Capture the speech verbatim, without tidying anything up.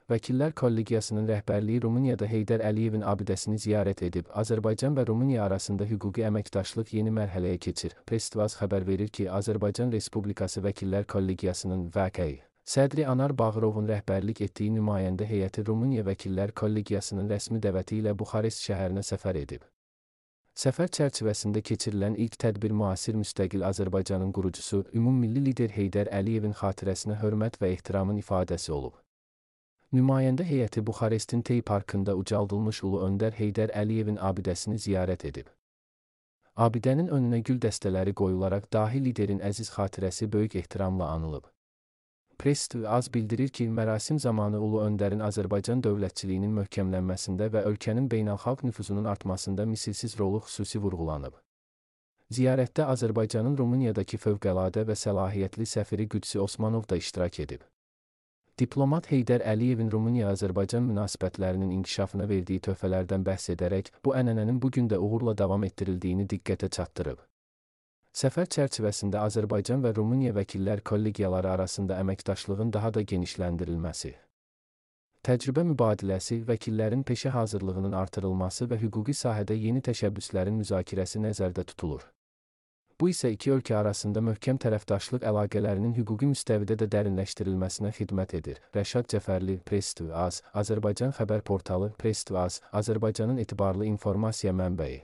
Vəkillər Kollegiyasının rəhbərliyi Rumuniyada Heydər Əliyevin abidəsini ziyarət edib, Azərbaycan və Rumıniya arasında hüquqi əməkdaşlıq yeni mərhələyə keçir. Press-Tvaz xəbər verir ki, Azərbaycan Respublikası Vəkillər Kollegiyasının V K sədri Anar Bağırovun rəhbərlik etdiyi nümayəndə heyəti Rumıniya Vəkillər Kollegiyasının rəsmi dəvəti ilə Buxarest şəhərinə səfər edib. Səfər çərçivəsində keçirilən ilk tədbir müasir müstəqil Azərbaycanın qurucusu, ümummilli lider Heydər Əliyevin xatirəsinə hörmət və ehtiramın ifadəsi olub. Nümayəndə heyəti Buxarestin Tey Parkında ucaldılmış Ulu Öndər Heydər Əliyevin abidəsini ziyarət edib. Abidənin önünə gül dəstələri qoyularaq dahi liderin əziz xatirəsi böyük ehtiramla anılıb. Press-Tvaz bildirir ki, mərasim zamanı Ulu Öndərin Azərbaycan dövlətçiliyinin möhkəmlənməsində və ölkənin beynəlxalq nüfuzunun artmasında misilsiz rolu xüsusi vurğulanıb. Ziyarətdə Azərbaycanın Rumuniyadakı fövqəladə və səlahiyyətli səfiri Qüdsi Osmanov da iştirak edib. Diplomat Heydər Əliyevin Rumıniya-Azərbaycan münasibətlərinin inkişafına verdiyi töhfələrdən bəhs edərək, bu ənənənin bugün də uğurla davam etdirildiyini diqqətə çatdırıb. Səfər çərçivəsində Azərbaycan və Rumıniya vəkillər kollegiyaları arasında əməkdaşlığın daha da genişləndirilməsi, təcrübə mübadiləsi, vəkillərin peşə hazırlığının artırılması və hüquqi sahədə yeni təşəbbüslərin müzakirəsi nəzərdə tutulur. Bu isə iki ölkə arasında möhkəm tərəfdaşlıq əlaqələrinin hüquqi müstəvidə də dərinləşdirilməsinə xidmət edir. Rəşad Cəfərli, Press-Tvaz, Azərbaycan xəbər portalı, Press-Tvaz, Azərbaycanın etibarlı informasiya mənbəyi.